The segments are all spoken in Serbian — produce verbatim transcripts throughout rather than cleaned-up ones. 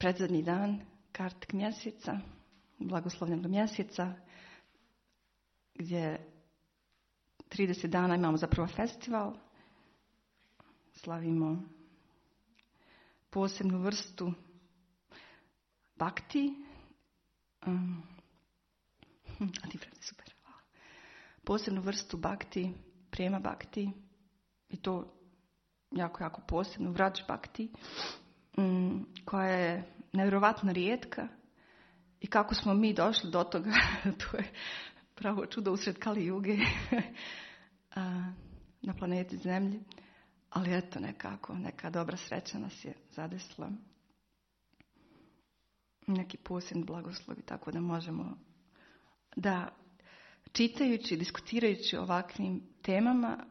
predzadnji dan Kartik mjeseca, blagoslovljenog mjeseca, gdje trideset dana imamo zapravo festival. Slavimo posebnu vrstu bakti. Um, a ti Fredi, super. Hvala. Posebnu vrstu bakti, prema bakti. I to jako, jako posebnu, vrač bakti. Um, koja je nevjerovatno rijetka. I kako smo mi došli do toga, to je pravo čudo usred Kali Juge na planeti Zemlji. Ali eto nekako, neka dobra sreća nas je zadesila. Neki posebni blagoslovi, tako da možemo da čitajući, diskutirajući o ovakvim temama,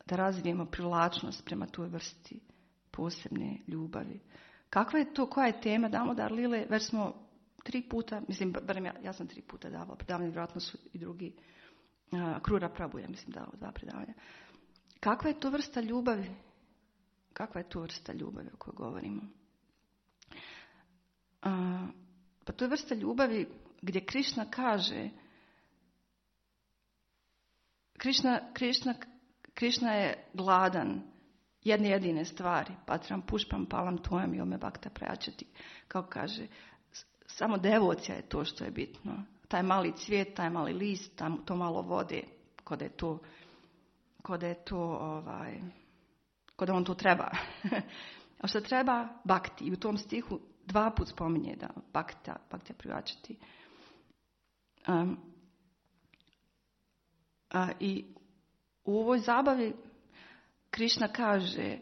da razvijemo privlačnost prema toj vrsti posebne ljubavi. Kakva je to, koja je tema? Damo dar Lile, već smo tri puta, mislim, barem ja, ja sam tri puta davala predavanje, vjerojatno su i drugi, uh, Krura Prabhu, ja mislim dao dva predavanja. Kakva je to vrsta ljubavi? Kakva je to vrsta ljubavi o kojoj govorimo? Uh, pa to je vrsta ljubavi gdje Krišna kaže, Krišna, Krišna, Krišna je gladan jedne jedine stvari, patram pušpam palam tvojam i ome bakta prajačati. Kao kaže, samo devocija je to što je bitno. Taj mali cvijet, taj mali list, tam, to malo vode, kod da je to, kod da je to, ovaj, kod da on to treba. A što treba? Bakti. I u tom stihu dva put spominje da bakta, bakta privačati. Um, a, I u ovoj zabavi Krišna kaže,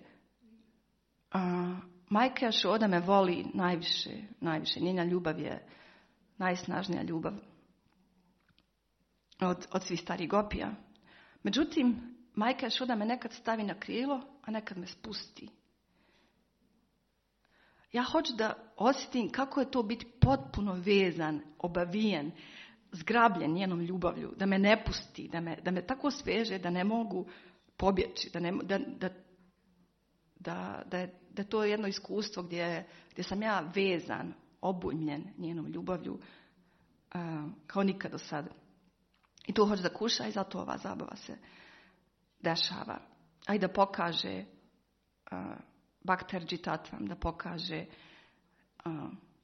a, majka Jašoda me voli najviše, najviše. Njena ljubav je najsnažnija ljubav od, od svih starih gopija. Međutim, majka Jašoda me nekad stavi na krilo, a nekad me spusti. Ja hoću da osjetim kako je to biti potpuno vezan, obavijen, zgrabljen njenom ljubavlju, da me ne pusti, da me, da me tako sveže da ne mogu pobjeći, da, ne, da, da, da, da, je, da je to jedno iskustvo gdje, gdje sam ja vezan, obujmljen njenom ljubavlju uh, kao nikad do sada. I to hoće da kuša i zato ova zabava se dešava. A i da pokaže uh, Bakterđi Tatvam, da pokaže uh,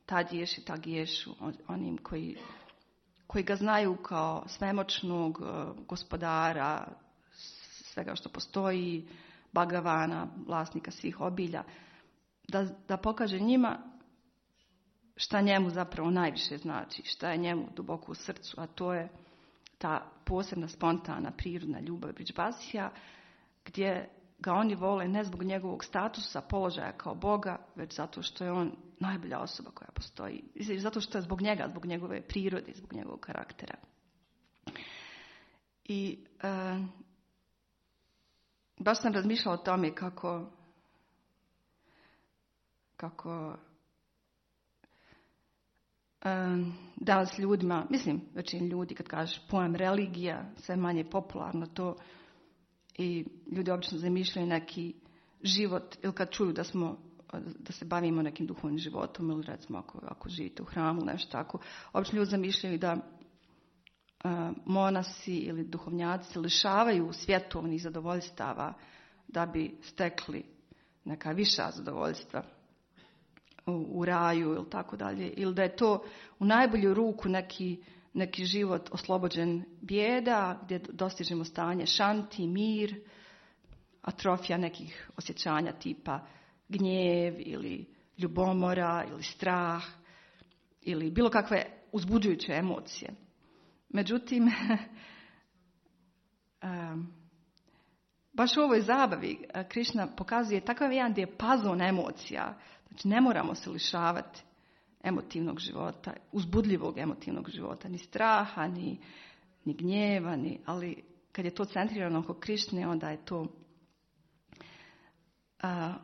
tad ješi, tad ješu onim koji, koji ga znaju kao svemoćnog uh, gospodara svega što postoji, Bhagavana, vlasnika svih obilja, da, da pokaže njima šta njemu zapravo najviše znači, šta je njemu duboko u srcu, a to je ta posebna, spontana, prirodna ljubav Bridžbasija, gdje ga oni vole ne zbog njegovog statusa, položaja kao Boga, već zato što je on najbolja osoba koja postoji. Zato što je zbog njega, zbog njegove prirode, zbog njegovog karaktera. I e, baš sam razmišljala o tome kako kako um, danas ljudima, mislim većini ljudi kad kažeš pojam religija, sve manje popularno to i ljudi obično zamišljaju neki život ili kad čuju da smo da se bavimo nekim duhovnim životom ili recimo ako, ako živite u hramu nešto tako, obično ljudi zamišljaju da uh, monasi ili duhovnjaci se lišavaju svjetovnih zadovoljstava da bi stekli neka viša zadovoljstva u, u raju ili tako dalje. Ili da je to u najbolju ruku neki, neki život oslobođen bijeda, gdje dostižemo stanje šanti, mir, atrofija nekih osjećanja tipa gnjev ili ljubomora ili strah ili bilo kakve uzbuđujuće emocije. Međutim, um, baš u ovoj zabavi Krišna pokazuje takav jedan dijapazon emocija. Znači ne moramo se lišavati emotivnog života, uzbudljivog emotivnog života, ni straha, ni, ni gnjeva, ni, ali kad je to centrirano oko Krišne, onda je to uh,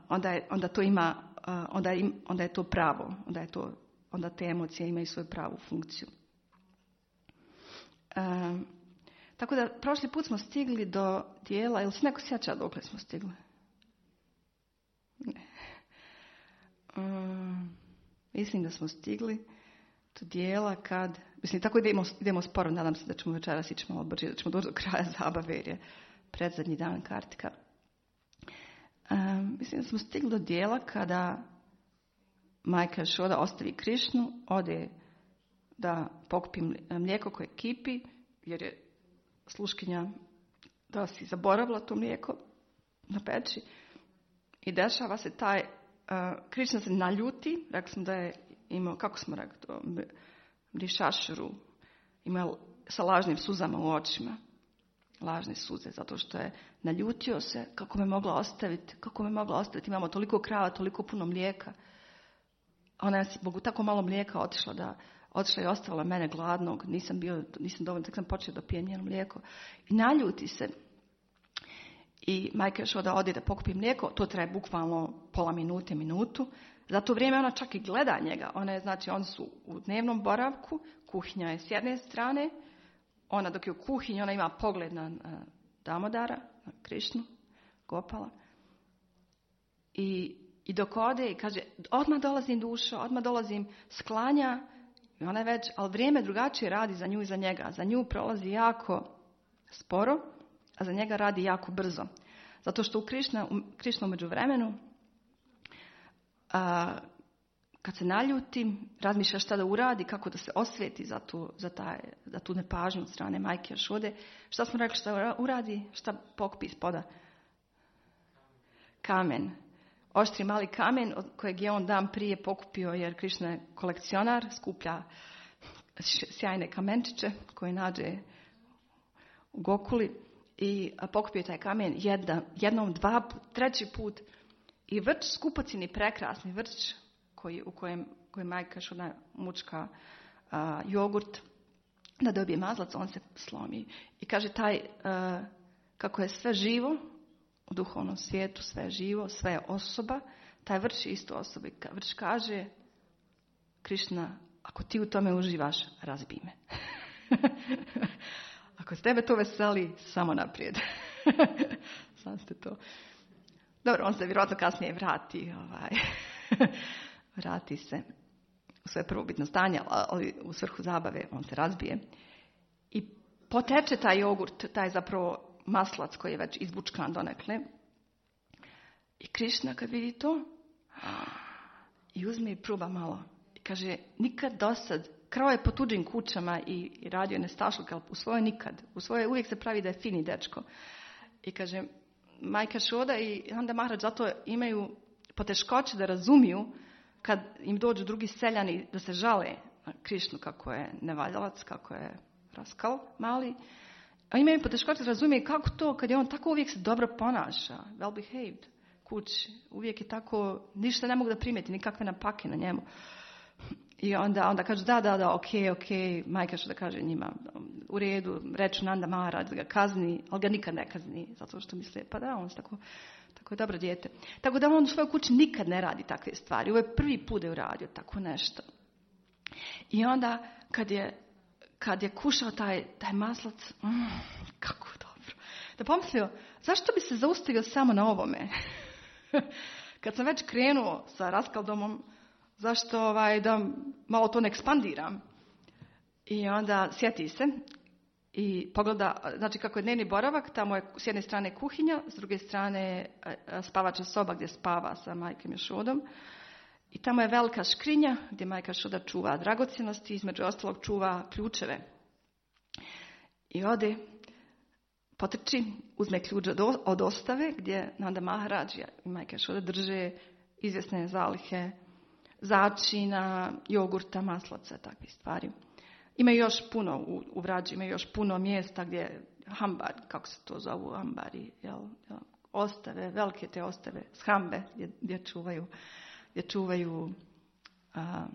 onda, je, onda to ima uh, onda, im, onda je to pravo, onda je to onda te emocije imaju svoju pravu funkciju. Um, tako da prošli put smo stigli do dijela, ili se neko sjeća dokle smo stigli? Ne. Um, Mislim da smo stigli do dijela kad, mislim tako idemo, idemo sporo, nadam se da ćemo večeras ići malo brže, da ćemo doći do kraja zabave jer je predzadnji dan kartika. Um, mislim da smo stigli do dijela kada majka Šoda ostavi Krišnu, ode da pokupi mlijeko koje kipi, jer je sluškinja da si zaboravila to mlijeko na peći. I dešava se taj, uh, Krišna se naljuti, rekli smo da je imao, kako smo rekli to, brišašuru, imao sa lažnim suzama u očima. Lažne suze, zato što je naljutio se, kako me mogla ostaviti, kako me mogla ostaviti, imamo toliko krava, toliko puno mlijeka. Ona je zbog tako malo mlijeka otišla da otišla i ostavila mene gladnog, nisam bio, nisam dovoljno, tek sam počela da pijem njeno mlijeko. I naljuti se. I majka još da ode da pokupi mlijeko, to traje bukvalno pola minute, minutu. Za to vrijeme ona čak i gleda njega. Ona je, znači, oni su u dnevnom boravku, kuhinja je s jedne strane, ona dok je u kuhinji, ona ima pogled na, na Damodara, na Krišnu, Gopala. I, i dok ode i kaže, odmah dolazim dušo, odmah dolazim, sklanja. I ona je već, ali vrijeme drugačije radi za nju i za njega. Za nju prolazi jako sporo, a za njega radi jako brzo. Zato što u Krišna, u Krišnu međuvremenu, a, kad se naljuti, razmišlja šta da uradi, kako da se osveti za tu, za taj, za tu nepažnju od strane majke Jašode. Šta smo rekli šta uradi? Šta pokupi ispoda? Kamen. Oštri mali kamen od kojeg je on dan prije pokupio, jer Krišna je kolekcionar, skuplja sjajne kamenčiće koje nađe u Gokuli. I pokupio taj kamen jedna, jednom, dva, treći put. I vrč, skupocjeni prekrasni vrč, koji, u kojem, kojem majka Jašoda mučka a, jogurt, da dobije mazlac, on se slomi. I kaže taj, a, kako je sve živo, u duhovnom svijetu sve je živo, sve je osoba, taj vrč je isto osoba. Vrč kaže, Krišna, ako ti u tome uživaš, razbij me. Ako s tebe to veseli, samo naprijed. Sam ste to. Dobro, on se vjerojatno kasnije vrati. Ovaj. Vrati se u svoje prvobitno stanje, ali u svrhu zabave on se razbije. I poteče taj jogurt, taj zapravo maslac koji je već izbučkan donekle. I Krišna kad vidi to, i uzme i proba malo. I kaže, nikad dosad, krao je po tuđim kućama i, i radio nestašluk, ali u svojoj nikad. U svojoj uvijek se pravi da je fini dečko. I kaže, majka Šoda i onda Maharaj zato imaju poteškoće da razumiju kad im dođu drugi seljani da se žale na Krišnu kako je nevaljalac, kako je raskal mali. A imaju poteškoće da razumiju kako to kad je on tako uvijek se dobro ponaša, well behaved, kući. Uvijek je tako, ništa ne mogu da primijeti, nikakve napake na njemu. I onda, onda kažu da, da, da, ok, ok, majka što da kaže njima, u redu, reću Nanda Maharaj da ga kazni, ali ga nikad ne kazni, zato što misle, pa da, on je tako, tako je dobro dijete. Tako da on u svojoj kući nikad ne radi takve stvari. Ovo je prvi put da je uradio tako nešto. I onda, kad je, kad je kušao taj, taj maslac, mm, kako dobro. Da pomislio, zašto bi se zaustavio samo na ovome? Kad sam već krenuo sa raskaldomom, zašto ovaj, da malo to ne ekspandiram? I onda sjeti se i pogleda, znači kako je dnevni boravak, tamo je s jedne strane kuhinja, s druge strane spavača soba gdje spava sa majkom Jašodom. I tamo je velika škrinja gdje majka Jašoda čuva dragocjenosti, između ostalog čuva ključeve. I ode, potrči, uzme ključ od ostave gdje Nanda Maharaj i majka Jašoda drže izvjesne zalihe začina, jogurta, maslaca, takvih stvari. Ima još puno u, u Vrađi, ima još puno mjesta gdje hambar, kako se to zovu, hambari, jel, jel, ostave, velike te ostave, shambe, gdje, gdje čuvaju, gdje čuvaju a,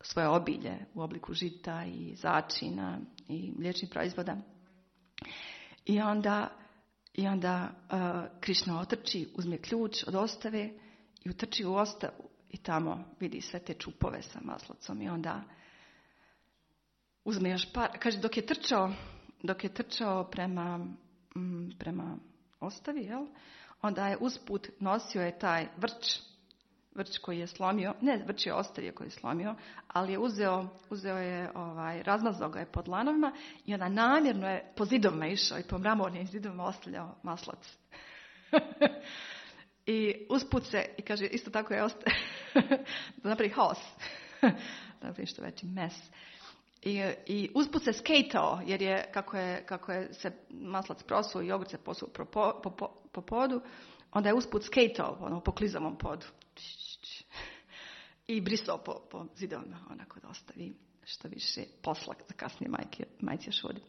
svoje obilje u obliku žita i začina i mliječnih proizvoda. I onda, i onda a, Krišna otrči, uzme ključ od ostave i utrči u ostavu. I tamo vidi sve te čupove sa maslacom i onda uzme još par, kaže dok je trčao, dok je trčao prema, mm, prema ostavi, jel? Onda je usput nosio je taj vrč, vrč koji je slomio, ne, vrč je ostavio koji je slomio, ali je uzeo, uzeo je, ovaj, razmazao ga je po dlanovima i onda namjerno je po zidovima išao i po mramornim zidovima ostavljao maslac. I usput se, i kaže, isto tako je ostavio, da napravi haos, da napravi što veći mes. I, i usput se skejtao, jer je, kako je, kako je se maslac prosuo i jogurt se posuo po, po, po, po podu, onda je usput skejtao ono, po klizavom podu. I brisao po, po zidovima, onako da ostavi što više posla za kasnije majke, majci Jašodi.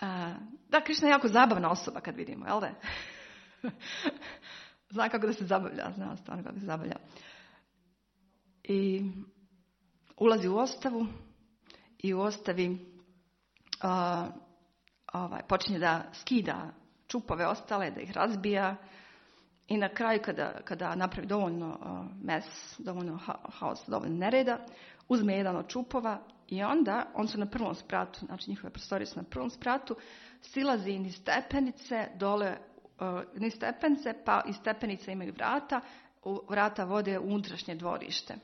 Uh, da, Krišna je jako zabavna osoba kad vidimo, jel da? Zna kako da se zabavlja, zna stvarno kako se zabavlja. I ulazi u ostavu i u ostavi uh, ovaj, počinje da skida čupove ostale, da ih razbija i na kraju kada, kada napravi dovoljno uh, mes, dovoljno ha- haos, dovoljno nereda, uzme jedan od čupova i onda, on su na prvom spratu, znači njihove prostorije su na prvom spratu, silazi niz stepenice, dole uh, niz stepenice, pa iz stepenice imaju vrata, u, vrata vode u unutrašnje dvorište.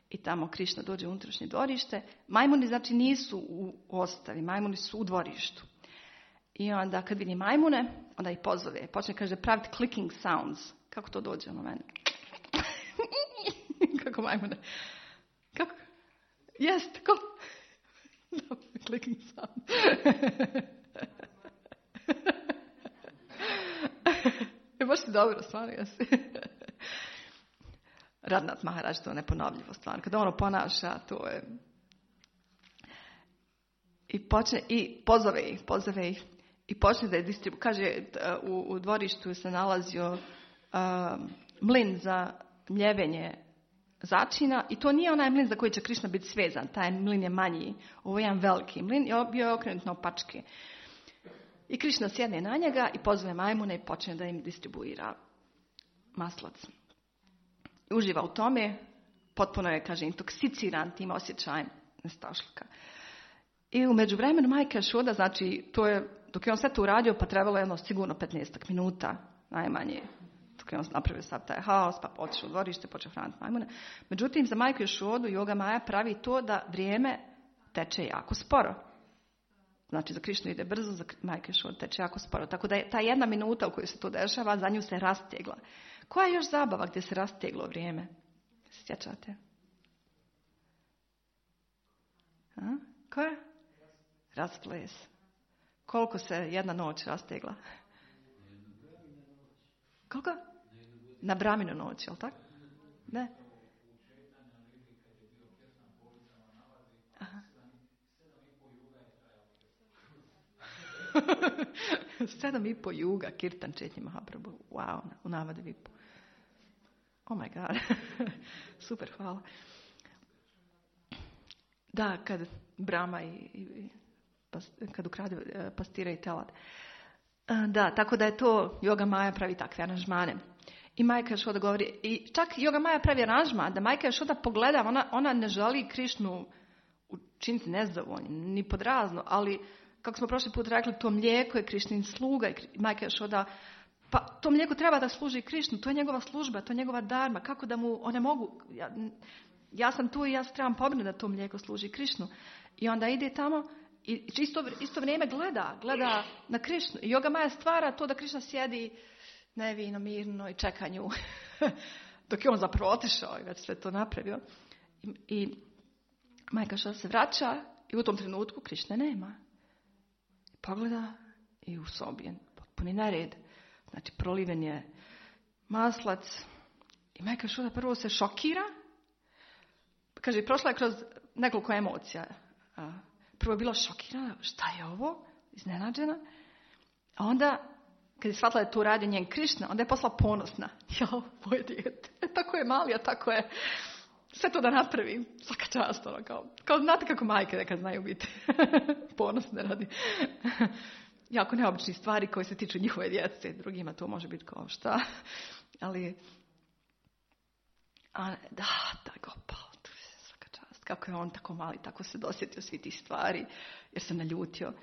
I tamo Krišna dođe u unutrašnje dvorište. Majmuni znači nisu u ostavi, majmuni su u dvorištu. I onda kad vidi majmune, onda ih pozove. Počne, kaže, praviti clicking sounds. Kako to dođe ono meni? Kako majmune? Kako? Jest, kako? Clicking sound. Je baš ti dobro, stvarno jesi. Radnat Maharaj, to je neponovljivo stvarno. Kada ono ponaša, to je... I počne, i pozove ih, pozove ih. I počne da je distribu... Kaže, u, u dvorištu se nalazio uh, mlin za mljevenje začina. I to nije onaj mlin za koji će Krišna biti svezan. Taj mlin je manji. Ovo je jedan veliki mlin. I bio je okrenut na opačke. I Krišna sjedne na njega i pozove majmune i počne da im distribuira maslac. I uživa u tome. Potpuno je, kaže, intoksiciran tim osjećajem nestašluka. I u međuvremenu majka Jašoda, znači, to je, dok je on sve to uradio, pa trebalo jedno sigurno petnaest minuta, najmanje. Dok je on napravio sav taj haos, pa otišao u dvorište, počeo hraniti majmune. Međutim, za majku Jašodu Yoga Maja pravi to da vrijeme teče jako sporo. Znači, za Krišnu ide brzo, za majku Jašodu teče jako sporo. Tako da je ta jedna minuta u kojoj se to dešava, za nju se rastegla. Koja je još zabava gdje se rasteglo vrijeme? Se sjećate? A? Koja? Rasples. Koliko se jedna noć rastegla? Koliko? Na Braminu noć, jel tako? Ne? Aha. Sedam i po juga, Kirtan Četnji Mahaprabhu. Wow, u Navadi Vipu. Oh my god. Super, hvala. Da, kad Brahma i, i kad ukrade pastira i telad. Da, tako da je to Yoga Maja pravi takve aranžmane. I majka Jašoda govori, i čak Yoga Maja pravi aranžman, da majka Jašoda pogleda, ona, ona ne želi Krišnu učiniti nezadovoljnim, ni pod razno, ali kako smo prošli put rekli, to mlijeko je Krišnin sluga i majka Jašoda, pa to mlijeko treba da služi Krišnu, to je njegova služba, to je njegova dharma, kako da mu, one mogu, ja, ja sam tu i ja se trebam pobrinuti da to mlijeko služi Krišnu. I onda ide tamo i isto, isto vrijeme gleda, gleda na Krišnu. I Yoga Maja stvara to da Krišna sjedi nevino, mirno i čeka nju. Dok je on zapravo otišao i već sve to napravio. I, i majka Jašoda se vraća i u tom trenutku Krišne nema. Pogleda i u sobi je potpuni nered. Znači proliven je maslac. I majka Jašoda prvo se šokira. Kaže, prošla je kroz nekoliko emocija. Prvo je bila šokirana, šta je ovo? Iznenađena. A onda, kad je shvatila da to radi njen Krišna, onda je postala ponosna. Jao, moje dijete. E, tako je mali, a tako je sve to da napravi. Svaka čast, ono, kao, kao znate kako majke nekad znaju biti ponosne radi jako neobični stvari koje se tiču njihove djece. Drugima to može biti kao šta. Ali, a, da, da, Gopal. Kako je on tako mali, tako se dosjetio svi tih stvari, jer se naljutio.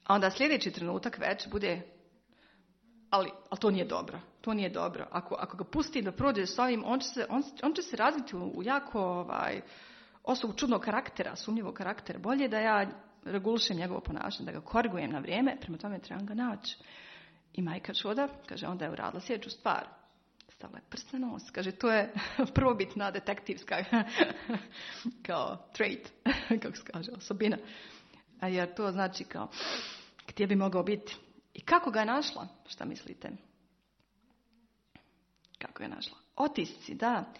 A onda sljedeći trenutak već bude ali, ali to nije dobro. To nije dobro. Ako, ako ga pusti da prođe s ovim, on će se, on, on će se razviti u, u jako ovaj, osobu čudnog karaktera, sumnjivog karaktera. Bolje da ja regulišem njegovo ponašanje, da ga korigujem na vrijeme, prema tome trebam ga naći. I majka čuda, kaže, onda je uradila sljedeću stvar. Stavila je prst na nos. Kaže, to je prvobitna detektivska kao trait, kako se kaže, osobina. A jer to znači kao, gdje bi mogao biti. I kako ga je našla? Šta mislite? Kako je našla? Otisci, da.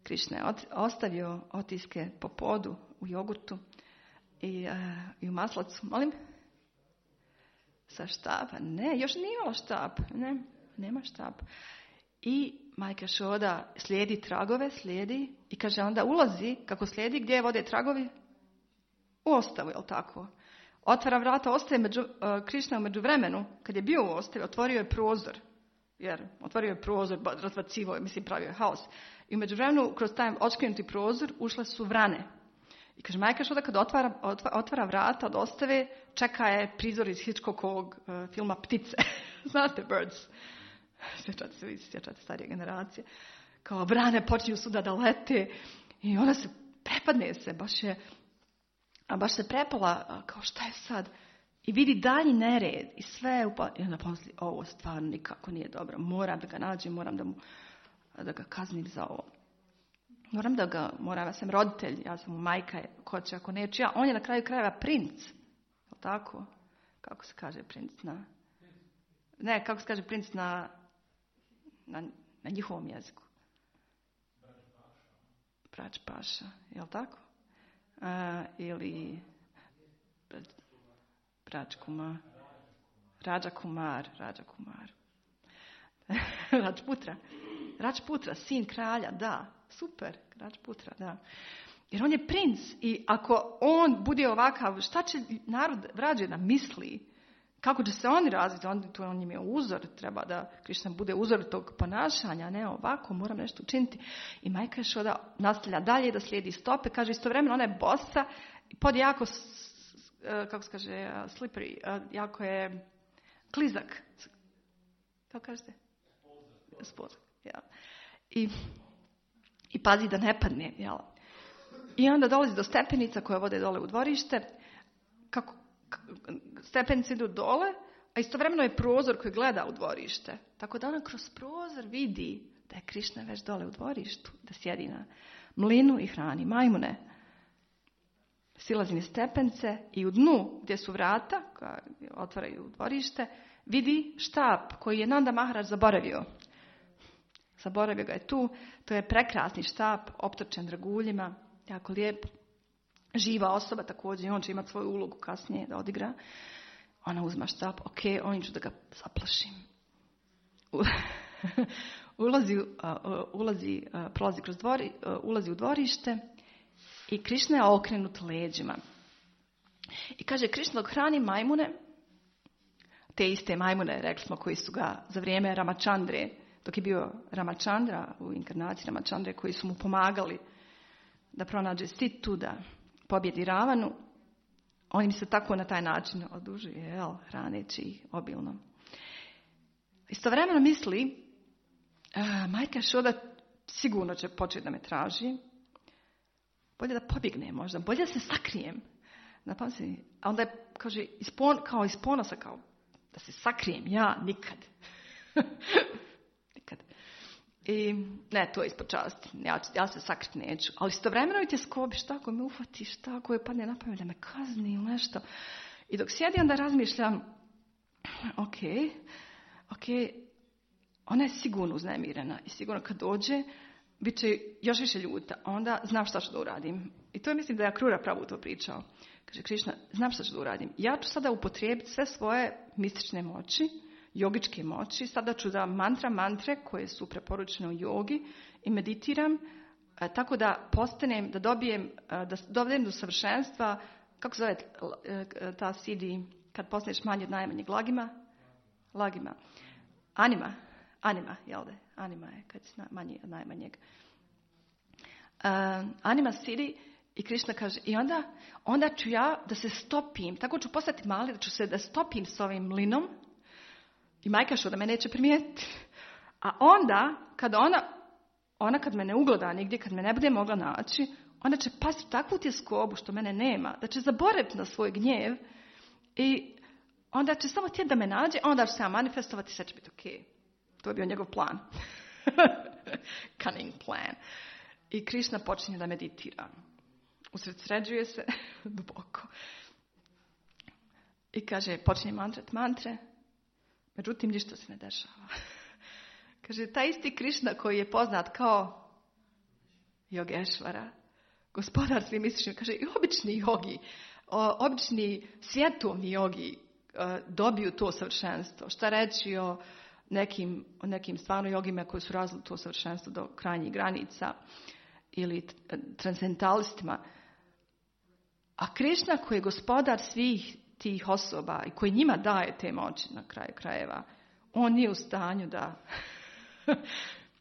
Krišna je ostavio otiske po podu u jogurtu i, uh, i u maslacu. Molim? Sa štapa? Ne, još nije imala štap. Ne, nema štap. I majka Šoda slijedi tragove, slijedi i kaže onda ulazi, kako slijedi, gdje vode tragovi? U ostavu, jel tako? Otvara vrata, ostaje među, uh, Krišna u međuvremenu, kad je bio u ostavi, otvorio je prozor. Jer otvorio je prozor, razvacivo je, mislim, pravio je haos. I u međuvremenu, kroz taj očkrenuti prozor, ušle su vrane. I kaže, majka Šoda kad otvara, otvara, otvara vrata od ostave, čeka je prizor iz Hitchcockovog uh, filma Ptice. Znate, Birds. Sjećate se, vi sjećate starije generacije. Kao vrane počinju suda da lete i ona se prepadne se, baš je, a baš se prepala, kao šta je sad? I vidi dalji nered i sve upa... I onda pomisli, ovo stvarno nikako nije dobro. Moram da ga nađem, moram da, mu, da ga kaznim za ovo. Moram da ga, moram, ja sam roditelj, ja sam mu majka, ko će ako neću ja. On je na kraju krajeva princ. Je li tako? Kako se kaže princ na... Ne, kako se kaže princ na, na, na njihovom jeziku? Brač paša. Je li tako? A, ili... Brač kumar. Rađa kumar. Rađa kumar. Rađputra. Rađputra, sin kralja, da. Super, Rađputra, da. Jer on je princ i ako on bude ovakav, šta će narod rađe da misli? Kako će se oni razviti? On, to on im je uzor, treba da Krišna bude uzor tog ponašanja, ne ovako, moram nešto učiniti. I majka Šoda nastavlja dalje da slijedi stope, kaže istovremeno ona je bosa, pod jako, kako se kaže, slippery, jako je klizak. Kako kažete? Spozak, ja. I, i pazi da ne padne, jel? I onda dolazi do stepenica koje vode dole u dvorište, kako stepenice idu dole, a istovremeno je prozor koji gleda u dvorište. Tako da ona kroz prozor vidi da je Krišna već dole u dvorištu, da sjedi na mlinu i hrani majmune. Silazi niz stepence i u dnu gdje su vrata, koja otvaraju dvorište, vidi štap koji je Nanda Maharaj zaboravio. Zaboravio ga je tu. To je prekrasni štap, optočen draguljima, jako lijep. Živa osoba također, on će imati svoju ulogu kasnije da odigra. Ona uzma štap, ok, on ću da ga zaplašim. ulazi, uh, ulazi, uh, prolazi kroz dvori, uh, ulazi u dvorište i Krišna je okrenut leđima. I kaže, Krišna dok hrani majmune, te iste majmune, rekli smo, koji su ga za vrijeme Ramachandre, dok je bio Ramachandra u inkarnaciji Ramachandre, koji su mu pomagali da pronađe Situ, da pobjedi Ravanu, on im se tako na taj način odužuje, jel, hraneći ih obilno. Istovremeno misli, uh, majka Šoda sigurno će početi da me traži, bolje da pobjegne možda, bolje da se sakrijem. Napamsi, a onda je, kaže, ispon, kao iz ponosa, kao da se sakrijem, ja nikad. nikad. I ne, to je ispod časti. Ja, ja se sakriti neću. Ali istovremeno i te skobi, šta ako me ufati, šta ako je padne na pamet da me kazni ili nešto. I dok sjedi, onda razmišljam, ok, ok, ona je sigurno uznemirena i sigurno kad dođe, bit će još više ljuta. Onda znam šta ću da uradim. I to je, mislim da je Akrura pravo to pričao. Kaže, Krišna, znam šta ću da uradim. Ja ću sada upotrijebiti sve svoje mistične moći, jogičke moći. Sada ću da mantra mantre koje su preporučene u jogi i meditiram e, tako da postanem, da dobijem, e, da dobijem do savršenstva, kako se zove e, ta sidi kad postaneš manji od najmanjeg lagima? Lagima. Anima. Anima, jel da? Anima je kad si manji od najmanjeg. Uh, anima sidi i Krišna kaže, i onda, onda ću ja da se stopim, tako ću postati mali, da ću se da stopim s ovim mlinom I majka što da me neće primijetiti. A onda, kada ona, ona kad me ne ugleda nigdje, kad me ne bude mogla naći, onda će pasti u takvu tjeskobu što mene nema, da će zaboraviti na svoj gnjev i onda će samo htjeti da me nađe, a onda će se ja manifestovati i sve će biti ok. To je bio njegov plan. Cunning plan. I Krišna počinje da meditira. Usredsređuje se duboko. I kaže, počinje mantrat mantre, međutim ništa se ne dešava. Kaže, taj isti Krišna koji je poznat kao Jogešvara, gospodar svim misličnim, kaže, i obični jogi, o, obični svjetovni jogi o, dobiju to savršenstvo. Šta reći o nekim, o nekim stvarno jogima koji su razvili to savršenstvo do krajnjih granica ili transcendentalistima. A Krišna koji je gospodar svih tih osoba i koji njima daje te moći na kraju krajeva, on nije u stanju da,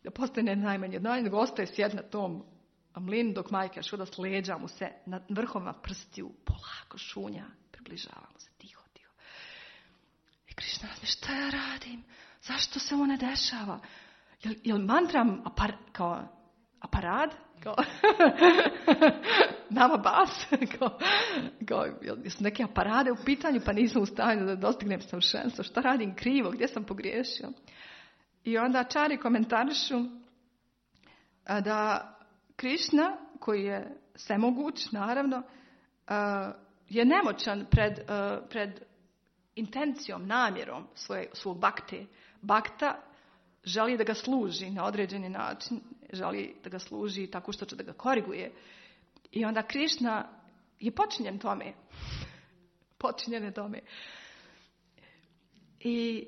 da postane najmanje od najmanje, nego ostaje sjed na tom mlinu dok majka šuda s leđa mu se na vrhovima prstiju polako šunja, približava mu se tiho, tiho. I Krišna razmišlja, šta ja radim? Zašto se ovo ne dešava? Jel, jel mantram apar, kao aparat? Kao nama bas? Kao, kao, jel su neke aparade u pitanju pa nisam u stanju da dostignem savršenstvo? Šta radim krivo? Gdje sam pogriješio? I onda čari komentarišu da Krišna, koji je svemoguć, naravno, je nemoćan pred, pred intencijom, namjerom svoje, svog bakte. Bakta želi da ga služi na određeni način, želi da ga služi tako što će da ga koriguje. I onda Krišna je počinjen tome. Počinjen je tome. I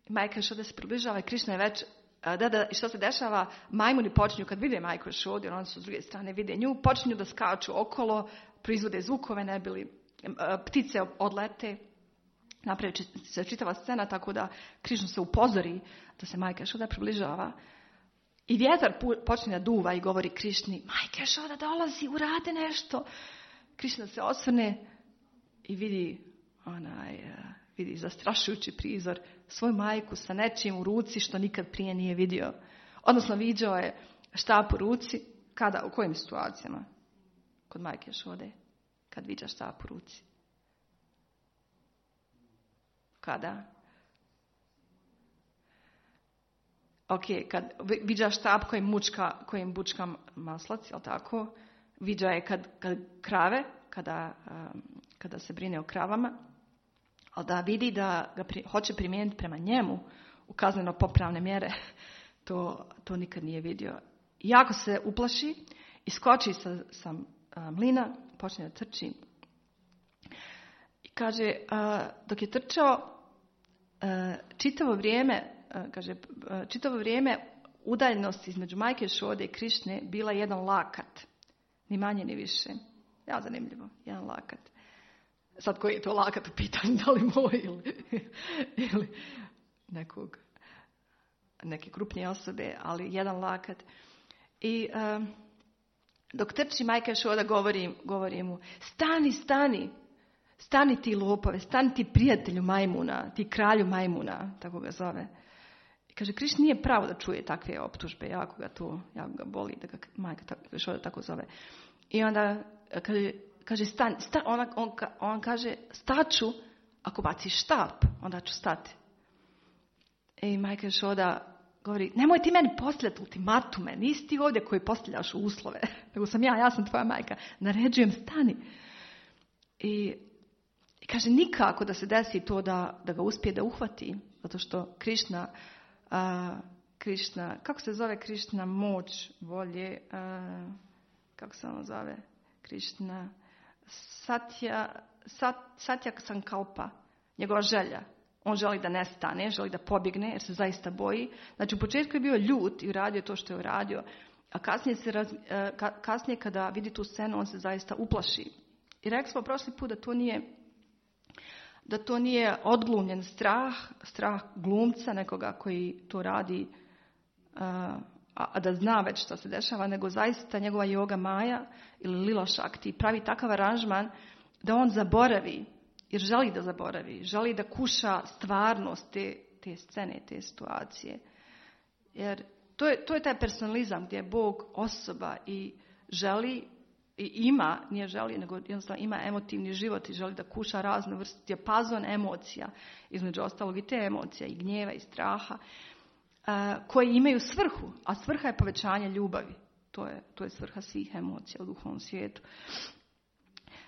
majka Šoda se približava i Krišna je već, da, da, i što se dešava, majmuni počinju kad vide majku Šodu, jer oni su s druge strane vide nju, počinju da skaču okolo, proizvode zvukove, ne bili, ptice odlete, napravi se čitava scena, tako da Krišna se upozori da se majka Šoda približava. I vjetar počinje da duva i govori Krišni, majka Šoda dolazi, urade nešto. Krišna se osvrne i vidi, onaj, vidi zastrašujući prizor, svoju majku sa nečim u ruci što nikad prije nije vidio. Odnosno viđao je štap u ruci, kada, u kojim situacijama? Kod majke Šode, kad viđa štap u ruci. Kada? Ok, kad viđa štap kojim, mučka, kojim bučka maslac, jel tako? Viđa je kad, kad krave, kada, um, kada se brine o kravama, ali da vidi da ga pri, hoće primijeniti prema njemu u kazneno popravne mjere, to, to nikad nije vidio. I jako se uplaši, iskoči sa, sa mlina, počne da trči. I kaže, uh, dok je trčao, uh, čitavo vrijeme, uh, kaže, uh, čitavo vrijeme udaljenost između majke Šode i Krišne bila jedan lakat. Ni manje ni više. Ja, zanimljivo, jedan lakat. Sad koji je to lakat u pitanju, da li moj ili, ili nekog, neke krupnije osobe, ali jedan lakat. I um, dok trči majka Šoda govori, govori mu, stani, stani, stani ti lopove, stani ti prijatelju majmuna, ti kralju majmuna, tako ga zove. I kaže, Krišna nije pravo da čuje takve optužbe, jako ga to, jako ga boli da ga majka Šoda tako zove. I onda kaže, kaže stani, sta, on, on, on kaže, staću, ako baciš štap, onda ću stati. I majka Šoda govori, nemoj ti meni postavljati ultimatume, nisi ti ovdje koji postavljaš uslove, nego sam ja, ja sam tvoja majka, naređujem, stani. I, i kaže, nikako da se desi to da, da ga uspije da uhvati, zato što Krišna, uh, Krišna, kako se zove Krišna, moć, volje, uh, kako se ono zove, Krišna, Satya, sat, Satya Sankalpa, njegova želja. On želi da nestane, želi da pobjegne jer se zaista boji. Znači u početku je bio ljut i uradio to što je uradio, a kasnije, se raz, kasnije kada vidi tu scenu on se zaista uplaši. I rekli smo prošli put da to nije, da to nije odglumljen strah, strah glumca nekoga koji to radi, a, a da zna već što se dešava, nego zaista njegova yoga maja ili lila šakti pravi takav aranžman da on zaboravi. Jer želi da zaboravi, želi da kuša stvarnost te, te scene, te situacije. Jer to je, to je taj personalizam gdje je Bog osoba i želi, i ima, nije želi, nego jednostavno ima emotivni život i želi da kuša razne vrste, dijapazon emocija, između ostalog i te emocija, i gnjeva, i straha, uh, koji imaju svrhu, a svrha je povećanje ljubavi. To je, to je svrha svih emocija u duhovnom svijetu.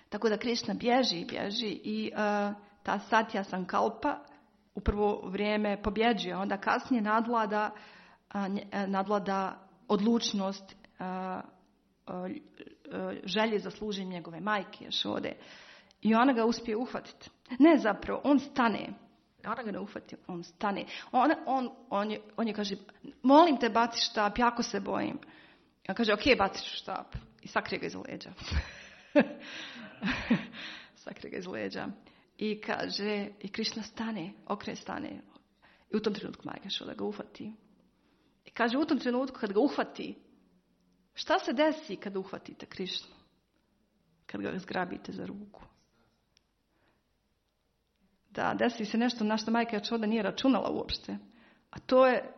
Tako da Krišna bježi i bježi i uh, ta Satya Sankalpa u prvo vrijeme pobjeđuje, onda kasnije nadvlada, uh, nadvlada odlučnost, uh, uh, želje za služenje njegove majke Jašode. I ona ga uspije uhvatiti. Ne zapravo, on stane. Ona ga ne uhvati, on stane. On, on, on, je, on je kaže, molim te baci štap, jako se bojim. Ja kaže, ok, baci ću štap. I sakrije ga iz leđa. Sakrije ga iz leđa. I kaže, i Krišna stane, okre stane. I u tom trenutku majka Jašoda ga uhvati. I kaže, u tom trenutku kad ga uhvati, šta se desi kad uhvatite Krišnu? Kad ga zgrabite za ruku? Da, desi se nešto na što majka Jašoda nije računala uopšte. A to je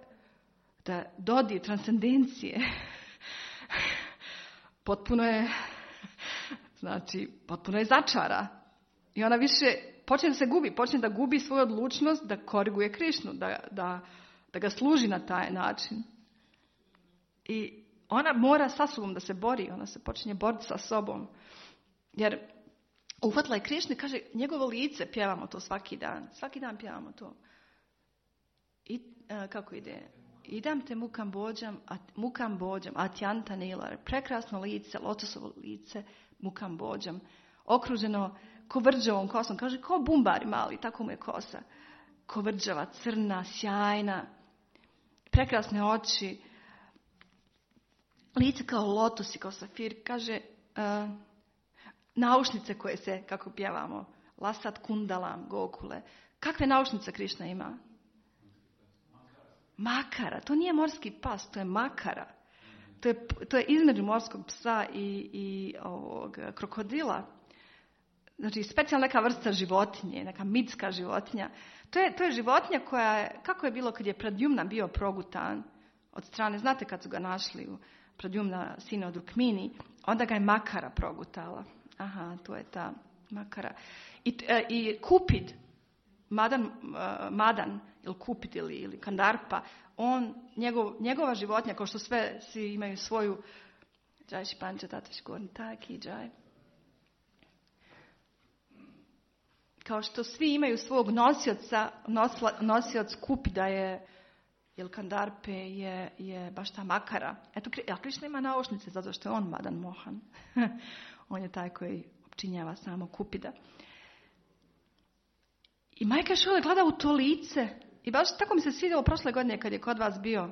da dodir transcendencije potpuno je, znači, potpuno je začara. I ona više počne da se gubi, počne da gubi svoju odlučnost da koriguje Krišnu, da, da, da ga služi na taj način. I ona mora sa sobom da se bori, ona se počinje boriti sa sobom. Jer uhvatila je Krišnu i kaže, njegovo lice, pjevamo to svaki dan, svaki dan pjevamo to. I uh, kako ide? Idam te mukam bođam, a, mukam bođam, atjanta nilar, prekrasno lice, lotosovo lice, mukam bođam, okruženo kovrđavom kosom, kaže, ko bumbari mali, tako mu je kosa, kovrđava, crna, sjajna, prekrasne oči, lice kao lotos i kao safir, kaže, uh, naušnice koje se, kako pjevamo, lasat kundalam, gokule, kakve naušnice Krišna ima? Makara, to nije morski pas, to je makara. To je, to je između morskog psa i, i ovog krokodila. Znači, specijalna neka vrsta životinje, neka mitska životinja. To je, to je životinja koja je, kako je bilo kad je Pradyumna bio progutan od strane, znate kad su ga našli u Pradyumna sina od Rukmini, onda ga je Makara progutala. Aha, to je ta Makara. I, i Kupid, Madan, uh, Madan ili Kupid ili, ili Kandarpa, on, njegov, njegova životinja, kao što sve, svi imaju svoju Džaj Španča, Tataš Gorn, taki Džaj. Kao što svi imaju svog nosioca, nosla, nosioc Kupida je, ili Kandarpe je, je baš ta Makara. Eto, a Krišna ima naušnice, zato što je on Madan Mohan. On je taj koji opčinjava samo Kupida. I majka Jašoda gleda u to lice. I baš tako mi se svidjelo prošle godine kad je kod vas bio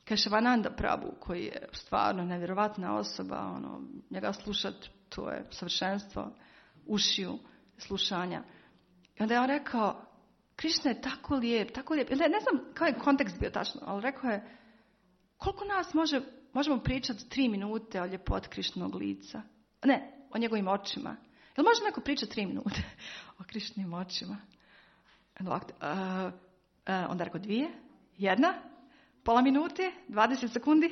Kešavananda Prabhu, koji je stvarno nevjerovatna osoba. Ono, njega slušat, to je savršenstvo ušiju slušanja. I onda je on rekao, Krišna je tako lijep, tako lijep. Ne, ne znam kao je kontekst bio tačno, ali rekao je, koliko nas može, možemo pričati tri minute o ljepoti Krišnog lica? Ne, o njegovim očima. Jel može neko pričati tri minute o Krišnim očima? Uh, uh, onda rekao dvije, jedna, pola minute, dvadeset sekundi.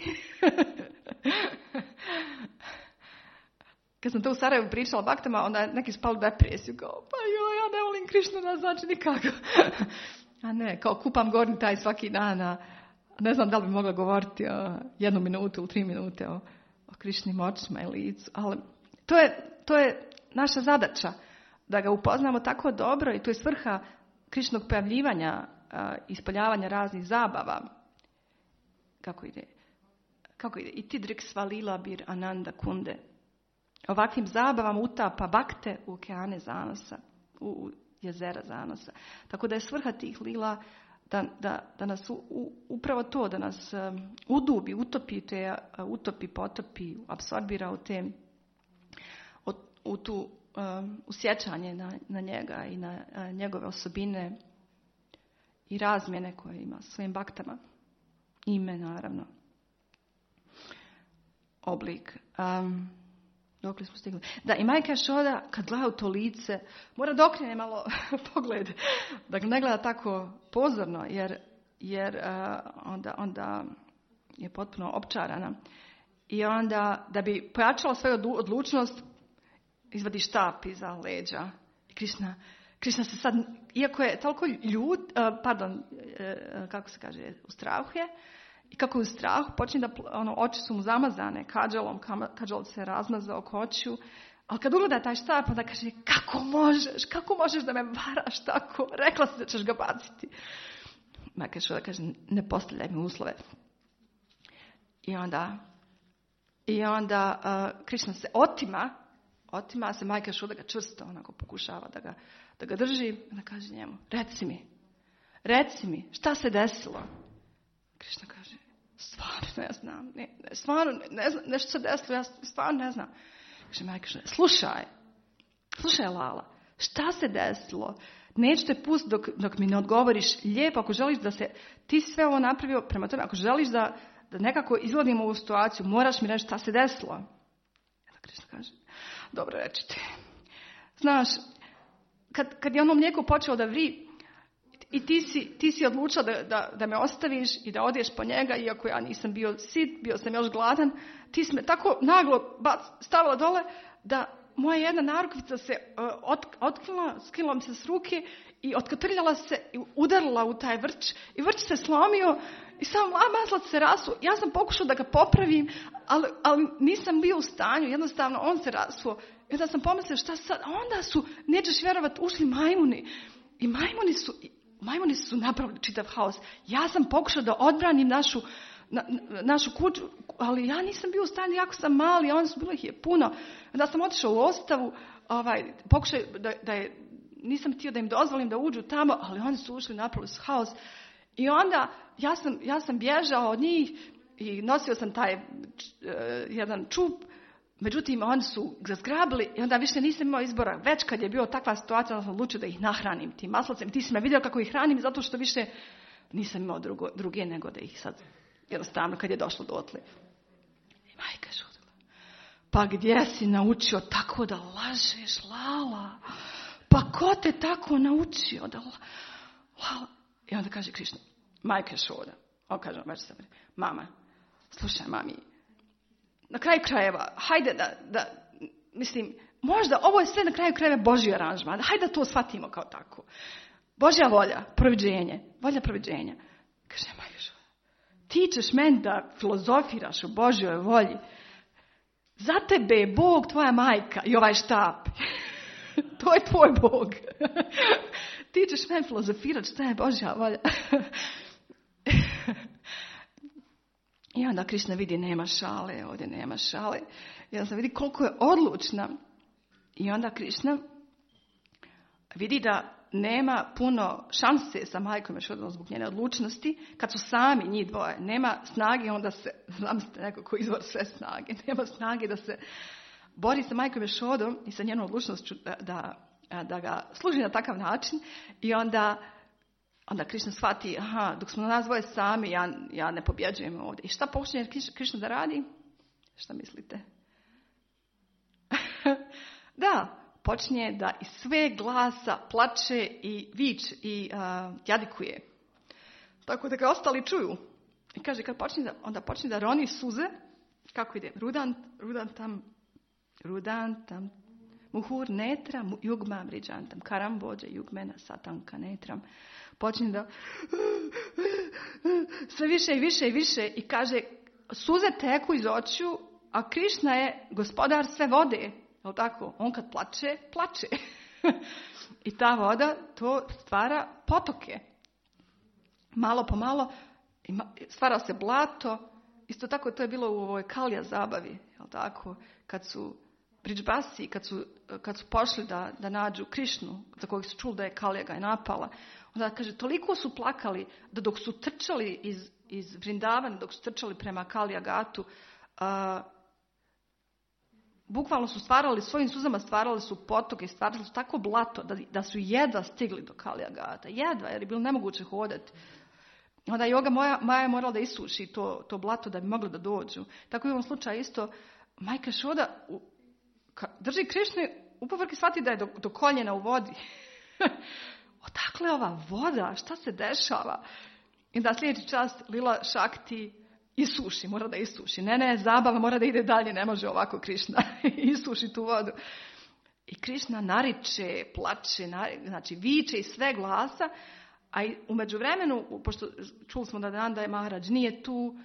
Kad sam to u Sarajevu pričala baktama, onda neki spali u depresiju. Kao, pa joj, ja ne volim Krišnu, ne znači nikako. A ne, kao kupam gornji taj svaki dan. A ne znam da li bi mogla govoriti o jednu minutu ili tri minute o, o Krišnim očima i licu. Ali to je, to je naša zadaća. Da ga upoznamo tako dobro i to je svrha Krišnog pojavljivanja, ispoljavanja raznih zabava. Kako ide? Kako ide? I tidrik svalila bir ananda kunde. Ovakvim zabavama utapa bakte u okeane zanosa, u jezera zanosa. Tako da je svrha tih lila da, da, da nas u, u, upravo to, da nas um, udubi, utopi, te, uh, utopi, potopi, apsorbira u te, u, u tu um, usjećanje na, na njega i na uh, njegove osobine i razmjene koje ima svojim baktama. Ime, naravno. Oblik. Um, Dokle smo stigli? Da, i majka Šoda, kad gleda u to lice, mora da okrene malo pogled. Da ne gleda tako pozorno, jer, jer uh, onda, onda je potpuno opčarana. I onda, da bi pojačala svoju odlučnost, izvadi štap iza leđa. I Krišna, Krišna se sad, iako je toliko ljud, uh, pardon, uh, kako se kaže, u strahu je, i kako je u strahu, počne da, ono, oči su mu zamazane kađalom, kađal se razmazao oko očiju, ali kad ugleda taj štap, onda kaže, kako možeš, kako možeš da me varaš tako, rekla si da ćeš ga baciti. Majka Šoda kaže, ne postavljaj mi uslove. I onda, i onda uh, Krišna se otima, otima se majka Šoda ga čvrsto onako pokušava da ga, da ga drži, i onda kaže njemu, reci mi, reci mi, šta se desilo? Krišna kaže, stvarno ne znam, ne, ne, stvarno ne znam, nešto se desilo, ja stvarno ne znam. Kaže majka Šoda, slušaj, slušaj Lala, šta se desilo? Neću te pustiti dok, dok mi ne odgovoriš lijepo, ako želiš da se, ti sve ovo napravio prema tome, ako želiš da, da nekako izgledimo ovu situaciju, moraš mi reći šta se desilo. Onda Krišna kaže, dobro reći ti. Znaš, kad, kad je ono mlijeko počelo da vri, i ti si, ti si odlučila da, da, da me ostaviš i da odeš po njega, iako ja nisam bio sit, bio sam još gladan, ti si me tako naglo bac, stavila dole da moja jedna narukvica se uh, ot, otkrila, skinula mi se s ruke i otkotrljala se i udarila u taj vrč i vrč se slomio i sam maslac se rasuo. Ja sam pokušao da ga popravim, ali, ali nisam bio u stanju, jednostavno on se rasuo. I onda sam pomislila šta sad, a onda su, nećeš vjerovat, ušli majmuni i majmuni su... Majmuni su napravili čitav haos. Ja sam pokušao da odbranim našu, na, našu kuću, ali ja nisam bio u stanju, jako sam mali, a oni su bilo ih je puno. Onda sam otišao u ostavu, ovaj, pokušao da, da je, nisam htio da im dozvolim da uđu tamo, ali oni su ušli, napravili su haos. I onda ja sam, ja sam bježao od njih i nosio sam taj uh, jedan čup. Međutim, oni su ga zgrabili i onda više nisam imao izbora. Već kad je bio takva situacija, onda sam odlučio da ih nahranim tim maslacem. Ti si me vidio kako ih hranim zato što više nisam imao drugo, druge nego da ih sad jednostavno kad je došlo dotle. I majka žudila. Pa gdje si naučio tako da lažeš, Lala? Pa ko te tako naučio da Lala? I onda kaže Krišna, majka Šoda. On kaže, već sam, mama, slušaj mami, na kraju krajeva, hajde da, da, mislim, možda ovo je sve na kraju krajeva Božji aranžman. Hajde da to shvatimo kao tako. Božja volja, proviđenje, volja proviđenja. Kaže, majka, ti ćeš meni da filozofiraš o Božjoj volji. Za tebe je Bog tvoja majka i ovaj štap. To je tvoj Bog. Ti ćeš meni filozofirati šta je Božja volja. I onda Krišna vidi nema šale, ovdje nema šale. I onda se vidi koliko je odlučna. I onda Krišna vidi da nema puno šanse sa majkom Ješodom zbog njene odlučnosti. Kad su sami njih dvoje, nema snage, onda se, zamislite neko ko izvor sve snage, nema snage da se bori sa majkom Ješodom i sa njenom odlučnošću da, da, da ga služi na takav način. I onda... Onda Krišna shvati, aha, dok smo nas dvoje sami, ja, ja ne pobjeđujem ovdje. I šta počne Krišna da radi? Šta mislite? Da, počinje da iz sve glasa plače i vič i uh, jadikuje. Tako da ga ostali čuju. I kaže, kad počne da, onda počne da roni suze, kako ide? Rudant, rudantam, rudantam, muhur netram, jugma vriđantam, karambođe, jugmena, satanka netram. Počinje da sve više i više i više i kaže, suze teku iz očiju, a Krišna je gospodar sve vode. Je tako? On kad plače, plače. I ta voda to stvara potoke. Malo po malo stvara se blato. Isto tako to je bilo u ovoj Kalija zabavi. Je tako? Kad su Bridžbasi, kad su, kad su pošli da, da nađu Krišnu, za kojeg su čuli da je Kalija ga je napala, onda kaže, toliko su plakali da dok su trčali iz, iz Vrindavana, dok su trčali prema Kalija Gatu, uh, bukvalno su stvarali, svojim suzama stvarali su potoke, stvarali su tako blato da, da su jedva stigli do Kalija Gata. Jedva, jer je bilo nemoguće hodati. Onda Joga moja, Maja je morala da isuši to, to blato da bi mogli da dođu. Tako i u ovom slučaju isto, majka Šoda drži Krišnu, u povrki shvati da je do, do koljena u vodi. Odakle ova voda? Šta se dešava? I da sljedeći čas Lila Šakti isuši, mora da isuši. Ne, ne, zabava mora da ide dalje, ne može ovako Krišna isuši tu vodu. I Krišna nariče, plače, nariče, znači viče iz sve glasa, a u međuvremenu, pošto čuli smo da Nanda je Maharadž nije tu, uh,